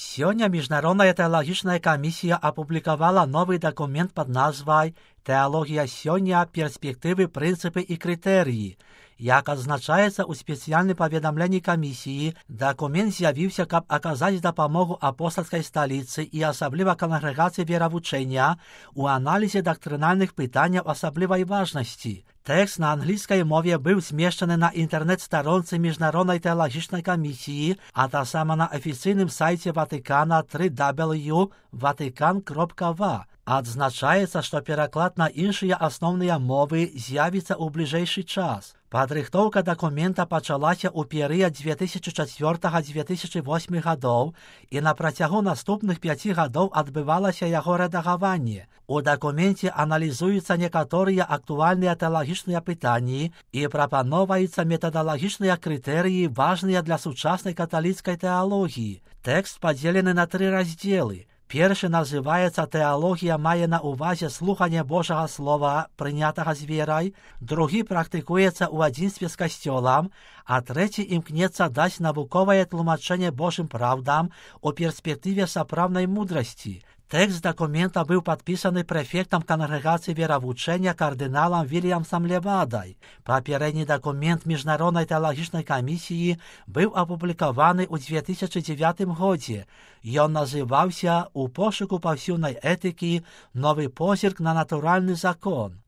Сегодня Международная теологичная комиссия опубликовала новый документ под назвой «Теология сёння. Перспективы, принципы и критерии». Як означається у спеціальній повідомленні комісії, документ з'явився, щоб оказати допомогу апостольській столиці і особливо конгрегації віровучення у аналізі доктринальних питань особливої важності. Текст на англійській мові був зміщений на інтернет-сторонці Міжнародної теологічної комісії, а та саме на офіційному сайті Ватикана www.vatican.va. Отзначається, що переклад на інші основні мови з'явиться у ближайший час. Підрихтовка документа почалася у період 2004-2008 років, і на протягу наступних 5 років відбувалося його редагування. У документі аналізуються некоторі актуальні теологічні питання і пропонуються методологічні критерії, важні для сучасної католицької теології. Текст поділений на 3 розділи. Перший називається «Теологія має на увазі слухання Божого Слова, прийнятого з вірою», другий практикується у одинстві з Костюлом, а третій імкнеться дати наукове тлумачення Божим правдам у перспективі справної мудрості. Текст документа був підписаний префектом конгрегації віровучення кардиналом Вільямсом Левадой. Попередній документ Міжнародної теологічної комісії був опублікований у 2009 році. Він називався «У пошуку повсюдної етики. Новий позирк на натуральний закон».